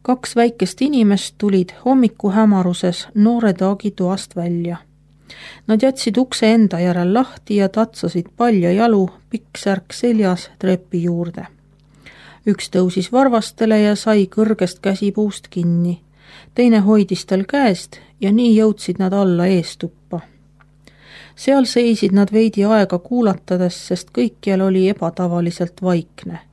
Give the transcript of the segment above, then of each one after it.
2 väikest inimest tulid hommikuhämaruses noore taagi toast välja. Nad jätsid ukse enda järel lahti ja tatsasid palja jalu, pikk särk seljas trepi juurde. Üks tõusis varvastele ja sai kõrgest käsipuust kinni. Teine hoidis tal käest ja nii jõudsid nad alla eestuppa. Seal seisid nad veidi aega kuulatades, sest kõikjal oli ebatavaliselt vaikne.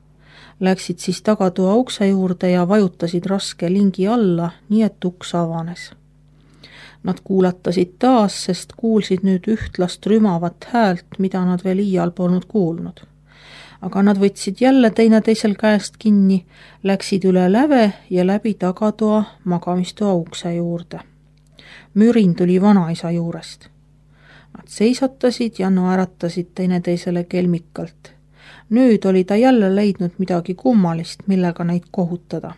Läksid siis tagatoa ukse juurde ja vajutasid raske lingi alla, nii et uks avanes. Nad kuulatasid taas, sest kuulsid nüüd ühtlast rümavat häält, mida nad veel iial polnud kuulnud. Aga nad võtsid jälle teineteisel käest kinni, läksid üle läve ja läbi tagatoa magamistoa ukse juurde. Mürin tuli vanaisa juurest. Nad seisatasid ja naeratasid teineteisele kelmikalt. Nüüd oli ta jälle leidnud midagi kummalist, millega neid kohutada.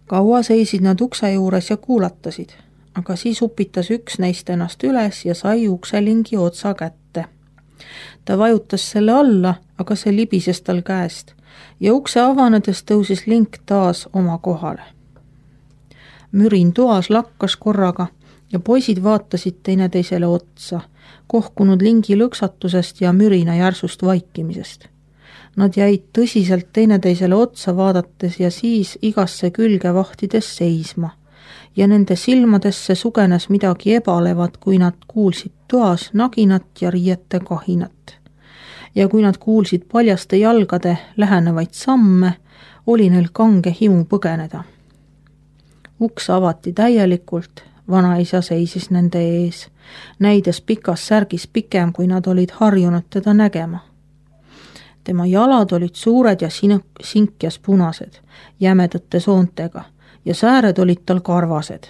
Kaua seisid nad ukse juures ja kuulatasid, aga siis upitas üks neist ennast üles ja sai ukselingi otsa kätte. Ta vajutas selle alla, aga see libises tal käest ja ukse avanedes tõusis link taas oma kohale. Mürin toas lakkas korraga ja poisid vaatasid teineteisele otsa, kohkunud lingi lõksatusest ja mürina järsust vaikimisest. Nad jäid tõsiselt teineteisele otsa vaadates ja siis igasse külge vahtides seisma ja nende silmadesse sugenes midagi ebalevat, kui nad kuulsid toas naginat ja riiete kahinat. Ja kui nad kuulsid paljaste jalgade lähenevaid samme, oli neil kange himu põgeneda. Uks avati täielikult, vanaisa seisis nende ees, näides pikas särgis pikem, kui nad olid harjunud teda nägema. Tema jalad olid suured ja sinkjas punased, jämedate soontega ja sääred olid tal karvased.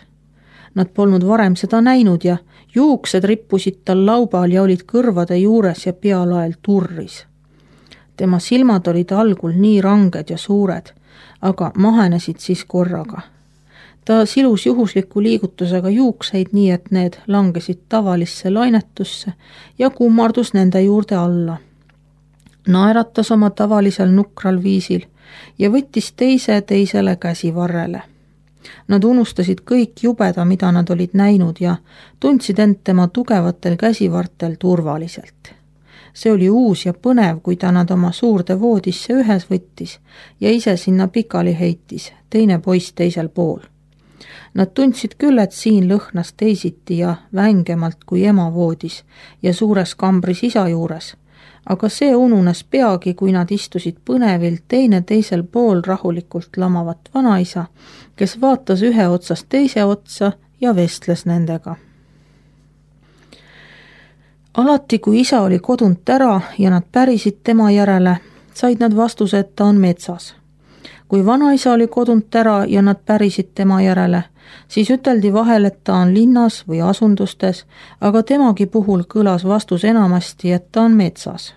Nad polnud varem seda näinud ja juuksed rippusid tal laubal ja olid kõrvade juures ja pealael turris. Tema silmad olid algul nii ranged ja suured, aga mahenesid siis korraga. Ta silus juhusliku liigutusega juukseid nii, et need langesid tavalisse lainetusse ja kummardus nende juurde alla. Naeratas oma tavalisel nukral viisil ja võttis teisele käsivarrele. Nad unustasid kõik jubeda, mida nad olid näinud ja tundsid end tema tugevatel käsivartel turvaliselt. See oli uus ja põnev, kui ta nad oma suurde voodisse ühes võttis ja ise sinna pikali heitis, teine poiss teisel pool. Nad tundsid küll, et siin lõhnas teisiti ja vängemalt kui ema voodis ja suures kambris isa juures, aga see ununes peagi, kui nad istusid põnevilt teine teisel pool rahulikult lamavat vanaisa, kes vaatas ühe otsast teise otsa ja vestles nendega. Alati, kui isa oli kodunt ära ja nad pärisid tema järele, said nad vastuse, et ta on metsas. Kui vanaisa oli kodunt ära ja nad pärisid tema järele, siis üteldi vahel, et ta on linnas või asundustes, aga temagi puhul kõlas vastus enamasti, et ta on metsas.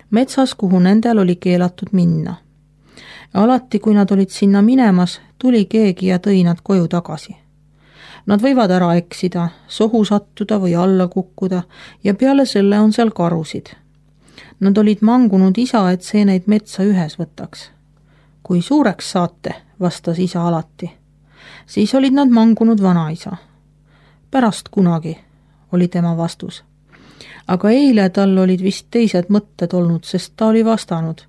Metsas, kuhu nendel oli keelatud minna. Alati, kui nad olid sinna minemas, tuli keegi ja tõi nad koju tagasi. Nad võivad ära eksida, sohu sattuda või alla kukkuda ja peale selle on seal karusid. Nad olid mangunud isa, et see neid metsa ühes võtaks. Kui suureks saate, vastas isa alati. Siis olid nad mangunud vanaisa. Pärast kunagi, oli tema vastus. Aga eile tal olid vist teised mõtted olnud, sest ta oli vastanud.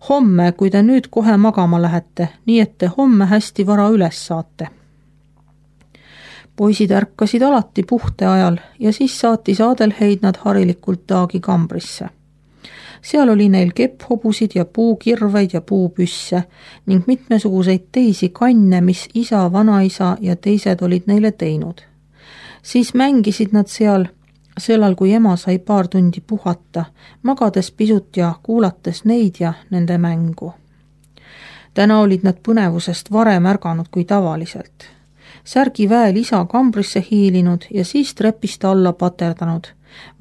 Homme, kui te nüüd kohe magama lähete, nii et te homme hästi vara üles saate. Poisid ärkasid alati puhte ajal ja siis saatis Adelheid nad harilikult taagi kambrisse. Seal oli neil kepphobusid ja puukirveid ja puupüsse ning mitmesuguseid teisi kanne, mis isa, vanaisa ja teised olid neile teinud. Siis mängisid nad sellal, kui ema sai paar tundi puhata, magades pisut ja kuulates neid ja nende mängu. Täna olid nad põnevusest varem ärganud kui tavaliselt. Särgi väel isa kambrisse hiilinud ja siis trepist alla paterdanud,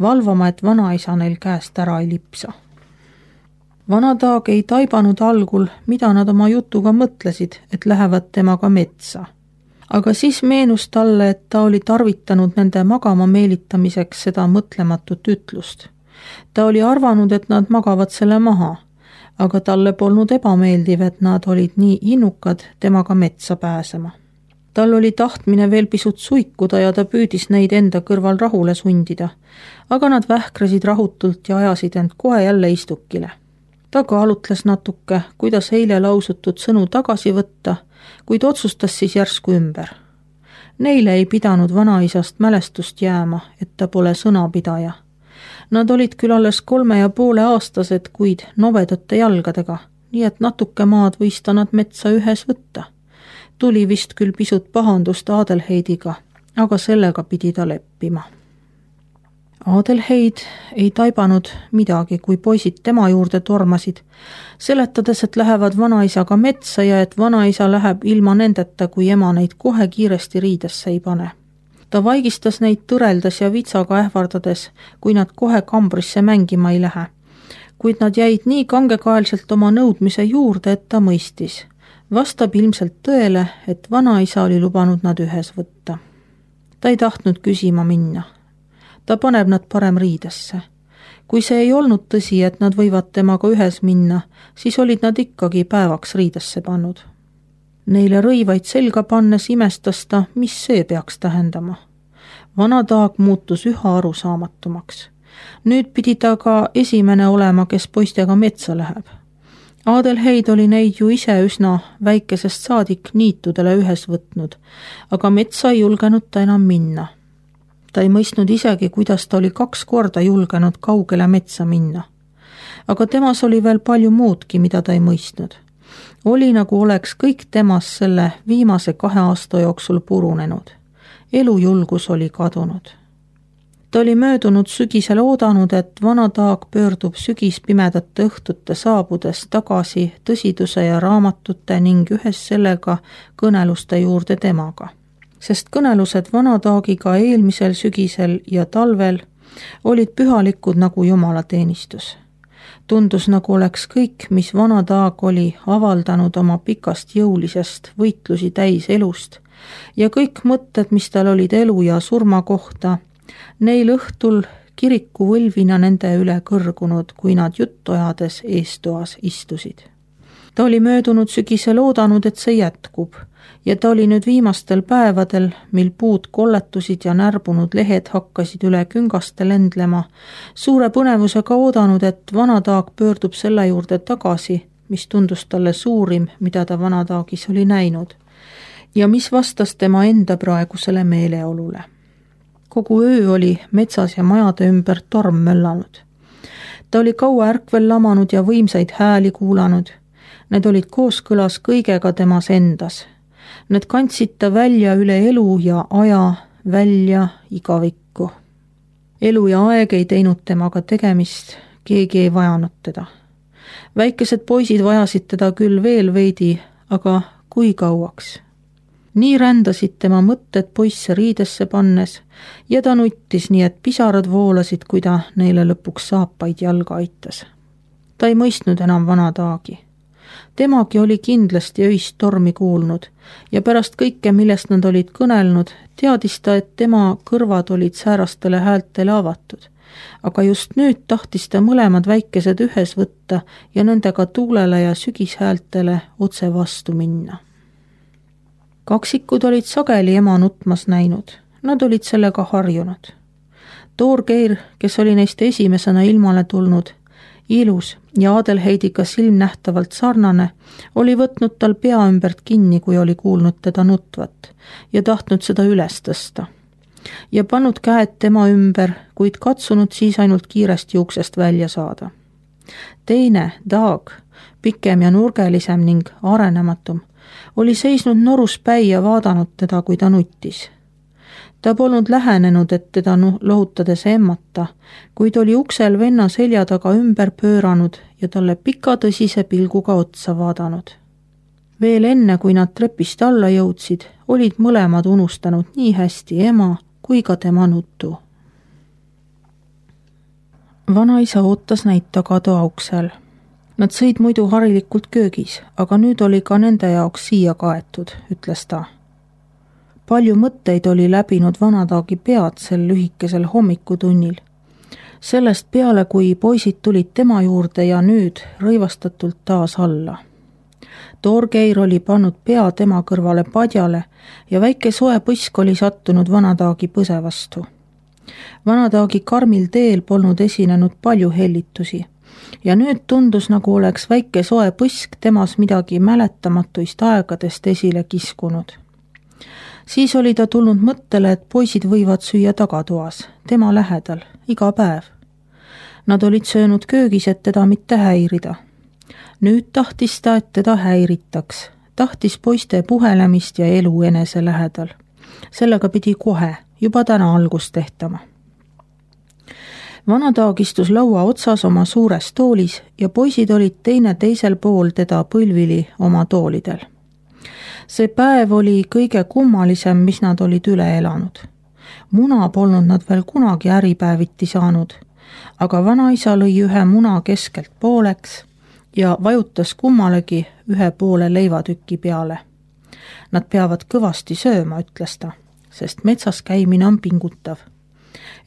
valvama, et vanaisa neil käest ära ei lipsa. Vanataag ei taibanud algul, mida nad oma jutuga mõtlesid, et lähevad temaga metsa. Aga siis meenus talle, et ta oli tarvitanud nende magama meelitamiseks seda mõtlematut ütlust. Ta oli arvanud, et nad magavad selle maha, aga talle polnud ebameeldiv, et nad olid nii innukad temaga metsa pääsema. Tal oli tahtmine veel pisut suikuda ja ta püüdis neid enda kõrval rahule sundida, aga nad vähkrasid rahutult ja ajasid end kohe jälle istukile. Ta kaalutles natuke, kuidas eile lausutud sõnu tagasi võtta, kuid otsustas siis järsku ümber. Neile ei pidanud vanaisast mälestust jääma, et ta pole sõnapidaja. Nad olid küll alles 3,5-aastased, kuid novedate jalgadega, nii et natuke maad võis ta nad metsa ühes võtta. Tuli vist küll pisut pahandust Adelheidiga, aga sellega pidi ta leppima. Adelheid ei taibanud midagi, kui poisid tema juurde tormasid, seletades, et lähevad vanaisaga metsa ja et vanaisa läheb ilma nendeta, kui ema neid kohe kiiresti riidesse ei pane. Ta vaigistas neid tõreldes ja vitsaga ähvardades, kui nad kohe kambrisse mängima ei lähe. Kuid nad jäid nii kangekaelselt oma nõudmise juurde, et ta mõistis. Vastab ilmselt tõele, et vanaisa oli lubanud nad ühes võtta. Ta ei tahtnud küsima minna. Ta paneb nad parem riidesse. Kui see ei olnud tõsi, et nad võivad temaga ühes minna, siis olid nad ikkagi päevaks riidesse pannud. Neile rõivaid selga pannes imestas ta, mis see peaks tähendama. Vana Taag muutus üha arusaamatumaks. Nüüd pidi ta ka esimene olema, kes poistega metsa läheb. Adelheid oli neid ju ise üsna väikesest saadik niitudele ühes võtnud, aga metsa ei julgenud ta enam minna. Ta ei mõistnud isegi, kuidas ta oli 2 korda julgenud kaugele metsa minna. Aga temas oli veel palju muudki, mida ta ei mõistnud. Oli nagu oleks kõik temas selle viimase 2 aasta jooksul purunenud. Elujulgus oli kadunud. Ta oli möödunud sügisel oodanud, et Vana Taag pöördub sügispimedate õhtute saabudes tagasi tõsiduse ja raamatute ning ühes sellega kõneluste juurde temaga. Sest kõnelused Vana Taagiga eelmisel sügisel ja talvel olid pühalikud nagu jumalateenistus. Tundus nagu oleks kõik, mis Vana Taag oli avaldanud oma pikast jõulisest võitlusi täis elust ja kõik mõtted, mis tal olid elu ja surma kohta, neil õhtul kiriku võlvina nende üle kõrgunud, kui nad juttu ajades eestoas istusid. Ta oli möödunud sügisel oodanud, et see jätkub ja ta oli nüüd viimastel päevadel, mil puud kolletusid ja närbunud lehed hakkasid üle küngaste lendlema, suure põnevusega oodanud, et Vana Taag pöördub selle juurde tagasi, mis tundus talle suurim, mida ta Vana Taagis oli näinud ja mis vastas tema enda praegusele meeleolule. Kogu öö oli metsas ja majade ümber torm möllanud. Ta oli kaua ärkvel lamanud ja võimsaid hääli kuulanud. Need olid kooskõlas kõigega temas endas. Need kandsid ta välja üle elu ja aja, välja igavikku. Elu ja aeg ei teinud temaga tegemist, keegi ei vajanud teda. Väikesed poisid vajasid teda küll veel veidi, aga kui kauaks? Nii rändasid tema mõtted poisse riidesse pannes ja ta nuttis nii, et pisarad voolasid, kui ta neile lõpuks saapaid jalga aitas. Ta ei mõistnud enam Vana Taagi. Temagi oli kindlasti öist tormi kuulnud ja pärast kõike, millest nad olid kõnelnud, teadis ta, et tema kõrvad olid säärastele häältele avatud. Aga just nüüd tahtis ta mõlemad väikesed ühes võtta ja nendega tuulele ja sügishäältele otse vastu minna. Kaksikud olid sageli ema nutmas näinud. Nad olid sellega harjunud. Toorgeir, kes oli neist esimesena ilmale tulnud, ilus ja Adelheidiga silmnähtavalt sarnane, oli võtnud tal pea ümbert kinni, kui oli kuulnud teda nutvat ja tahtnud seda üles tõsta. Ja pannud käed tema ümber, kuid katsunud siis ainult kiiresti uksest välja saada. Teine, Taag, pikem ja nurgelisem ning arenematum, oli seisnud noruspäi ja vaadanud teda, kui ta nuttis. Ta polnud lähenenud, et teda lohutades emmata, kuid oli uksel venna selja taga ümber pööranud ja talle pika tõsise pilguga otsa vaadanud. Veel enne, kui nad trepist alla jõudsid, olid mõlemad unustanud nii hästi ema kui ka tema nutu. Vanaisa ootas neid tagatoa uksel. Nad sõid muidu harilikult köögis, aga nüüd oli ka nende jaoks siia kaetud, ütles ta. Palju mõtteid oli läbinud Vana Taagi pead sel lühikesel hommikutunnil. Sellest peale, kui poisid tulid tema juurde ja nüüd rõivastatult taas alla. Torgeir oli pannud pea tema kõrvale padjale ja väike soe põsk oli sattunud vanataagi põse vastu. Vanataagi karmil teel polnud esinenud palju hellitusi ja nüüd tundus, nagu oleks väike soe põsk temas midagi mäletamatuist aegadest esile kiskunud. Siis oli ta tulnud mõttele, et poisid võivad süüa tagatoas, tema lähedal, iga päev. Nad olid söönud köögis, et teda mitte häirida. Nüüd tahtis ta, et teda häiritaks. Tahtis poiste puhelemist ja elu enese lähedal. Sellega pidi kohe, juba täna algust tehtama. Vanataag istus laua otsas oma suures toolis ja poisid olid teine teisel pool teda põlvili oma toolidel. See päev oli kõige kummalisem, mis nad olid üle elanud. Muna polnud nad veel kunagi äripäeviti saanud, aga vanaisa lõi ühe muna keskelt pooleks ja vajutas kummalegi ühe poole leivatüki peale. Nad peavad kõvasti sööma, ütles ta, sest metsas käimine on pingutav.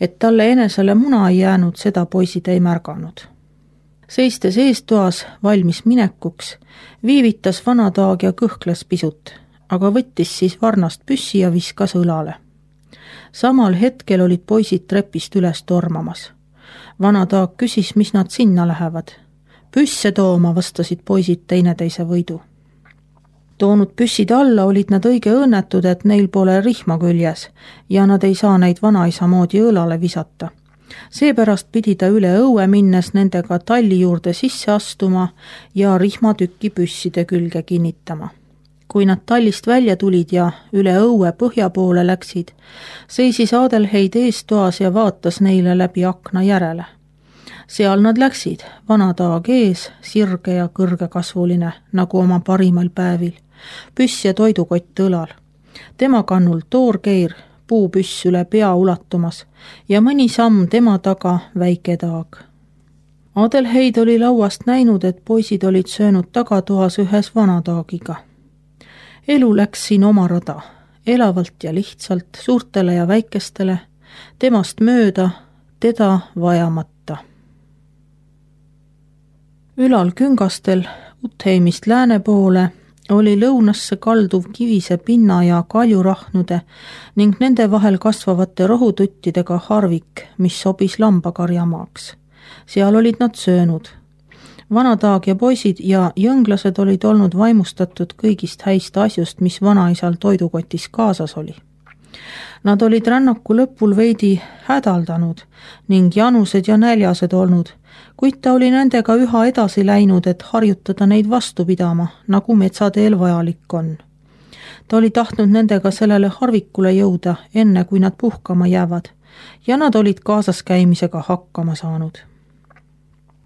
Et talle enesele muna ei jäänud, seda poisid ei märganud. Seistes eestoas valmis minekuks, viivitas vanataag ja kõhkles pisut, aga võttis siis varnast püssi ja viskas õlale. Samal hetkel olid poisid trepist üles tormamas. Vanataag küsis, mis nad sinna lähevad. Püsse tooma, vastasid poisid teineteise võidu. Toonud püssid alla olid nad õige õnnetud, et neil pole rihma küljes ja nad ei saa neid vanaisa moodi õlale visata. Seepärast pidi ta üle õue minnes nendega talli juurde sisse astuma ja rihmatükki püsside külge kinnitama. Kui nad tallist välja tulid ja üle õue põhja poole läksid, seisis Adelheid eestoas ja vaatas neile läbi akna järele. Seal nad läksid, vanataag ees, sirge ja kõrgekasvuline, nagu oma parimal päevil, püss ja toidukott õlal. Tema kannul Torgeir, puupüss üle pea ulatumas ja mõni samm tema taga väike taag. Adelheid oli lauast näinud, et poisid olid söönud tagatoas ühes vanataagiga. Elu läks siin oma rada, elavalt ja lihtsalt, suurtele ja väikestele, temast mööda, teda vajamata. Ülal küngastel Utheimist lääne poole oli lõunasse kalduv kivise pinna ja kaljurahnude ning nende vahel kasvavate rohututtidega harvik, mis sobis lambakarjamaaks. Seal olid nad söönud. Vanataag ja poisid ja jõnglased olid olnud vaimustatud kõigist häist asjust, mis vanaisal toidukotis kaasas oli. Nad olid rännaku lõpul veidi hädaldanud ning janused ja näljased olnud, kuid ta oli nendega üha edasi läinud, et harjutada neid vastu pidama, nagu metsateel vajalik on. Ta oli tahtnud nendega sellele harvikule jõuda, enne kui nad puhkama jäävad, ja nad olid kaasas käimisega hakkama saanud.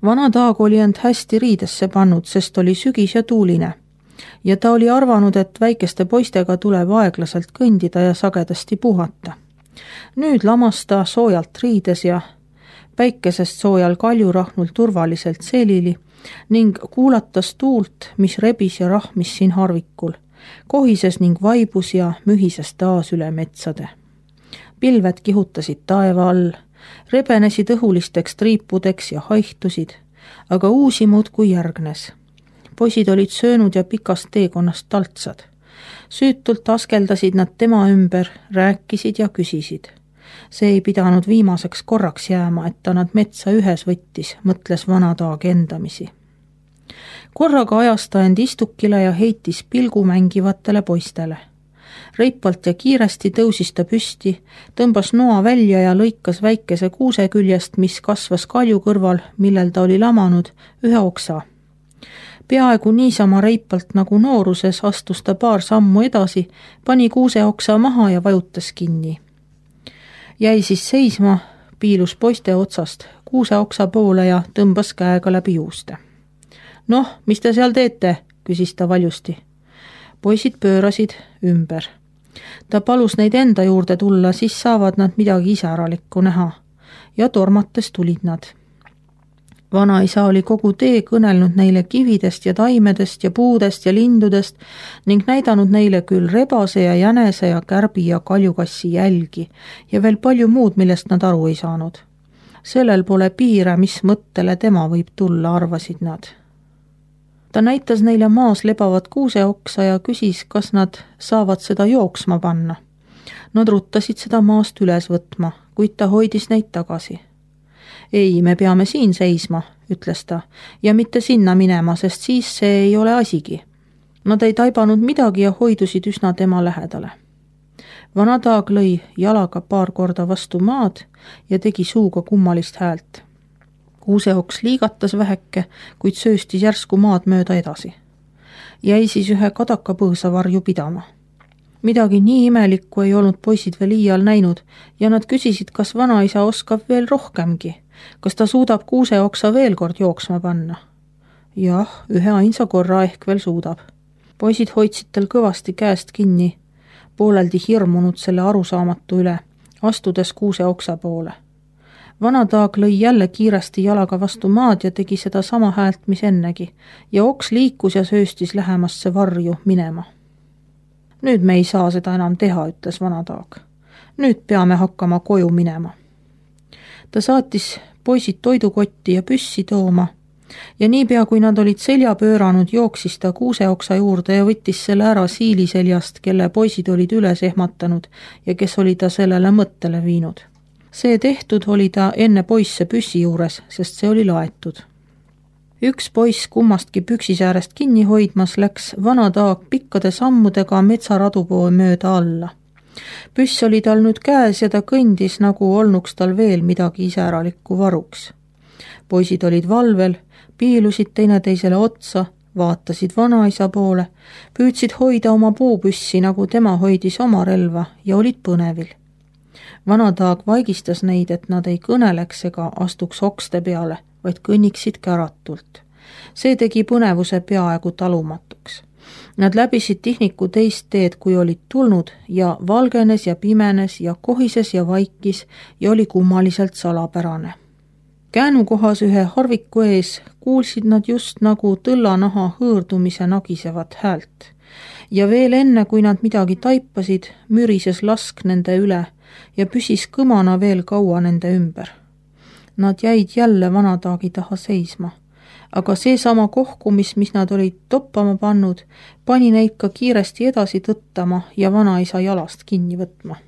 Vanataag oli end hästi riidesse pannud, sest oli sügis ja tuuline, ja ta oli arvanud, et väikeste poistega tuleb aeglaselt kõndida ja sagedasti puhata. Nüüd lamas ta soojalt riides ja päikesest soojal kaljurahnul turvaliselt selili ning kuulatas tuult, mis rebis ja rahmis siin harvikul, kohises ning vaibus ja mühises taas üle metsade. Pilved kihutasid taeva all, rebenesid õhulisteks triipudeks ja haihtusid, aga uusi muudkui järgnes. Poisid olid söönud ja pikast teekonnast taltsad. Süütult askeldasid nad tema ümber, rääkisid ja küsisid. See ei pidanud viimaseks korraks jääma, et ta nad metsa ühes võttis, mõtles vanataag endamisi. Korraga ajas ta end istukile ja heitis pilgu mängivatele poistele. Reipalt ja kiiresti tõusis ta püsti, tõmbas noa välja ja lõikas väikese kuuse küljest, mis kasvas kalju kõrval, millel ta oli lamanud, ühe oksa. Peaaegu niisama reipalt nagu nooruses astus ta paar sammu edasi, pani kuuse oksa maha ja vajutas kinni. Jäi siis seisma, piilus poiste otsast kuuse oksa poole ja tõmbas käega läbi juuste. Noh, mis te seal teete, küsis ta valjusti. Poisid pöörasid ümber. Ta palus neid enda juurde tulla, siis saavad nad midagi isäralikku näha. Ja tormates tulid nad. Vanaisa oli kogu tee kõnelnud neile kividest ja taimedest ja puudest ja lindudest ning näidanud neile küll rebase ja jänese ja kärbi ja kaljukassi jälgi ja veel palju muud, millest nad aru ei saanud. sellel pole piire, mis mõttele tema võib tulla, arvasid nad. Ta näitas neile maas lebavat kuuseoksa ja küsis, kas nad saavad seda jooksma panna. Nad ruttasid seda maast üles võtma, kuid ta hoidis neid tagasi. Ei, me peame siin seisma, ütles ta, ja mitte sinna minema, sest siis see ei ole asigi. Nad ei taibanud midagi ja hoidusid üsna tema lähedale. Vana Taag lõi jalaga paar korda vastu maad ja tegi suuga kummalist häält. Kuuseoks liigatas väheke, kuid sööstis järsku maad mööda edasi. Jäi siis ühe kadakapõõsa varju pidama. Midagi nii imelikku ei olnud poisid veel iial näinud ja nad küsisid, kas vanaisa oskab veel rohkemgi, kas ta suudab kuuseoksa veel kord jooksma panna. Jah, ühe ainsa korra ehk veel suudab. Poisid hoidsid tal kõvasti käest kinni, pooleldi hirmunud selle arusaamatu üle, astudes kuuseoksa poole. Vana Taag lõi jälle kiiresti jalaga vastu maad ja tegi seda sama häält, mis ennegi, ja oks liikus ja sööstis lähemasse varju minema. Nüüd me ei saa seda enam teha, ütles Vana Taag. Nüüd peame hakkama koju minema. Ta saatis poisid toidukotti ja püssi tooma ja niipea, kui nad olid selja pööranud, jooksis ta kuuseoksa juurde ja võttis selle ära Siili seljast, kelle poisid olid üles ehmatanud ja kes oli ta sellele mõttele viinud. See tehtud oli ta enne poisse püssi juures, sest see oli laetud. Üks poiss kummastki püksisäärest kinni hoidmas läks Vana Taag pikkade sammudega metsaradu poole mööda alla. Püss oli tal nüüd käes ja ta kõndis, nagu olnuks tal veel midagi iseäralikku varuks. Poisid olid valvel, piilusid teineteisele otsa, vaatasid vanaisa poole, püüdsid hoida oma puupüssi, nagu tema hoidis oma relva ja olid põnevil. Vana Taag vaigistas neid, et nad ei kõneleks ega astuks okste peale, vaid kõnniksid käratult. See tegi põnevuse peaaegu talumatuks. Nad läbisid tihniku teist teed, kui olid tulnud ja valgenes ja pimenes ja kohises ja vaikis ja oli kummaliselt salapärane. Käänukohas ühe harviku ees kuulsid nad just nagu tõllanaha hõõrdumise nagisevat häält. Ja veel enne, kui nad midagi taipasid, mürises lask nende üle ja püsis kõmana veel kaua nende ümber. Nad jäid jälle Vana Taagi taha seisma, aga seesama kohkumis, mis nad olid toppama pannud, pani neid ka kiiresti edasi tõttama ja vanaisa jalast kinni võtma.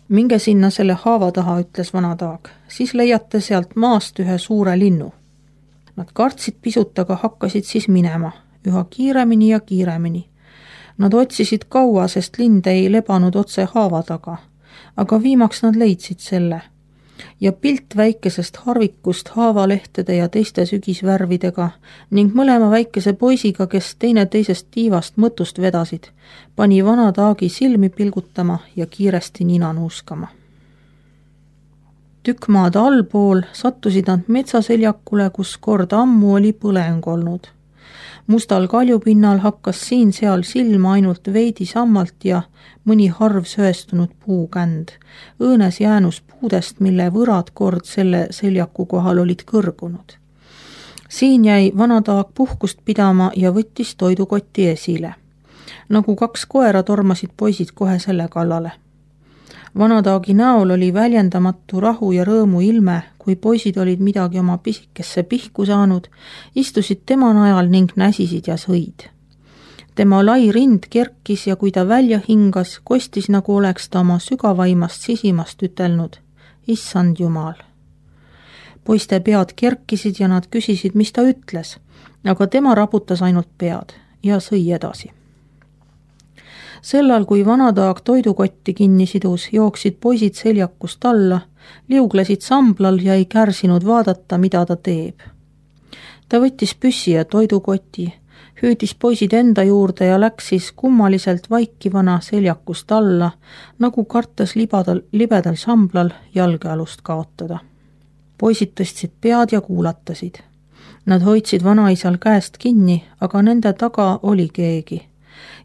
Minge sinna selle haava taha, ütles Vana Taag, siis leiate sealt maast ühe suure linnu. Nad kartsid pisut, aga hakkasid siis minema, üha kiiremini ja kiiremini. Nad otsisid kaua, sest lind ei lebanud otse haava taga, aga viimaks nad leidsid selle. Ja pilt väikesest harvikust haavalehtede ja teiste sügisvärvidega ning mõlema väikese poisiga, kes teine teisest tiivast mõtust vedasid, pani Vana Taagi silmi pilgutama ja kiiresti nina nuuskama. Tükk maad allpool sattusid nad metsaseljakule, kus kord ammu oli põleng olnud. Mustal kaljupinnal hakkas siin-seal silma ainult veidi sammalt ja mõni harv söestunud puukänd, õõnes jäänus puudest, mille võrad kord selle seljaku kohal olid kõrgunud. Siin jäi Vana Taag puhkust pidama ja võttis toidukotti esile. Nagu kaks koera tormasid poisid kohe selle kallale. Vana Taagi näol oli väljendamatu rahu ja rõõmu ilme, kui poisid olid midagi oma pisikesse pihku saanud, istusid tema najal ning näsisid ja sõid. Tema lai rind kerkis ja kui ta välja hingas, kostis, nagu oleks ta oma sügavaimast sisimast ütelnud, issand Jumal. Poiste pead kerkisid ja nad küsisid, mis ta ütles, aga tema raputas ainult pead ja sõi edasi. Sellal, kui Vana Taag toidukotti kinni sidus, jooksid poisid seljakust alla, liuglesid samblal ja ei kärsinud vaadata, mida ta teeb. Ta võttis püssi ja toidukoti, hüüdis poisid enda juurde ja läks siis kummaliselt vaikivana seljakust alla, nagu kartas libedal samblal jalgealust kaotada. Poisid tõstsid pead ja kuulatasid. Nad hoidsid vanaisal käest kinni, aga nende taga oli keegi.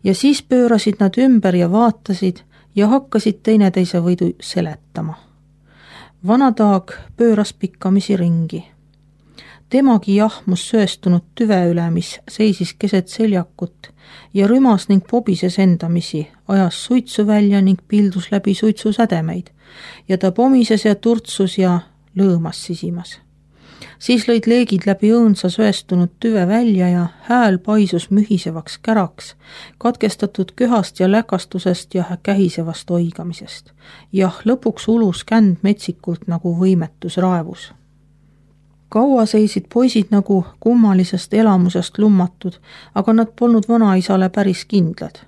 Ja siis pöörasid nad ümber ja vaatasid ja hakkasid teineteise võidu seletama. Vana Taag pööras pikkamisi ringi. Temagi jahmus sööstunud tüve üle, mis seisis keset seljakut ja rümas ning pobises endamisi, ajas suitsu välja ning pildus läbi suitsusädemeid ja ta pomises ja turtsus ja lõõmas sisimas. Siis lõid leegid läbi õõnsa söestunud tüve välja ja hääl paisus mühisevaks käraks, katkestatud köhast ja läkastusest ja kähisevast oigamisest. Jah, lõpuks ulus känd metsikult nagu võimetus raevus. Kaua seisid poisid nagu kummalisest elamusest lummatud, aga nad polnud vanaisale päris kindlad.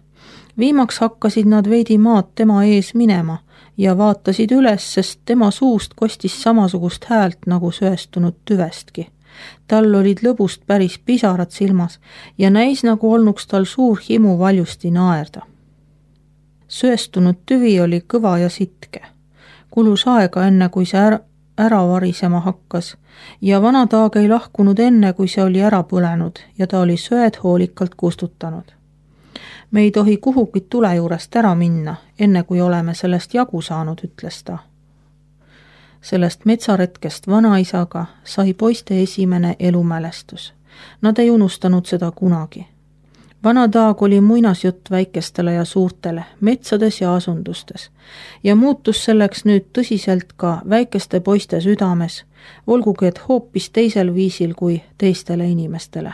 Viimaks hakkasid nad veidi maad tema ees minema ja vaatasid üles, sest tema suust kostis samasugust häält nagu söestunud tüvestki. Tal olid lõbust päris pisarad silmas ja näis nagu olnuks tal suur himu valjusti naerda. Söestunud tüvi oli kõva ja sitke. Kulus aega enne, kui see ära varisema hakkas ja vana taag ei lahkunud enne, kui see oli ära põlenud ja ta oli söed hoolikalt kustutanud. Me ei tohi kuhugi tule juurest ära minna, enne kui oleme sellest jagu saanud, ütles ta. Sellest metsaretkest vanaisaga sai poiste esimene elumälestus. Nad ei unustanud seda kunagi. Vana taag oli muinasjutt väikestele ja suurtele, metsades ja asundustes ja muutus selleks nüüd tõsiselt ka väikeste poiste südames, olgugi et hoopis teisel viisil kui teistele inimestele.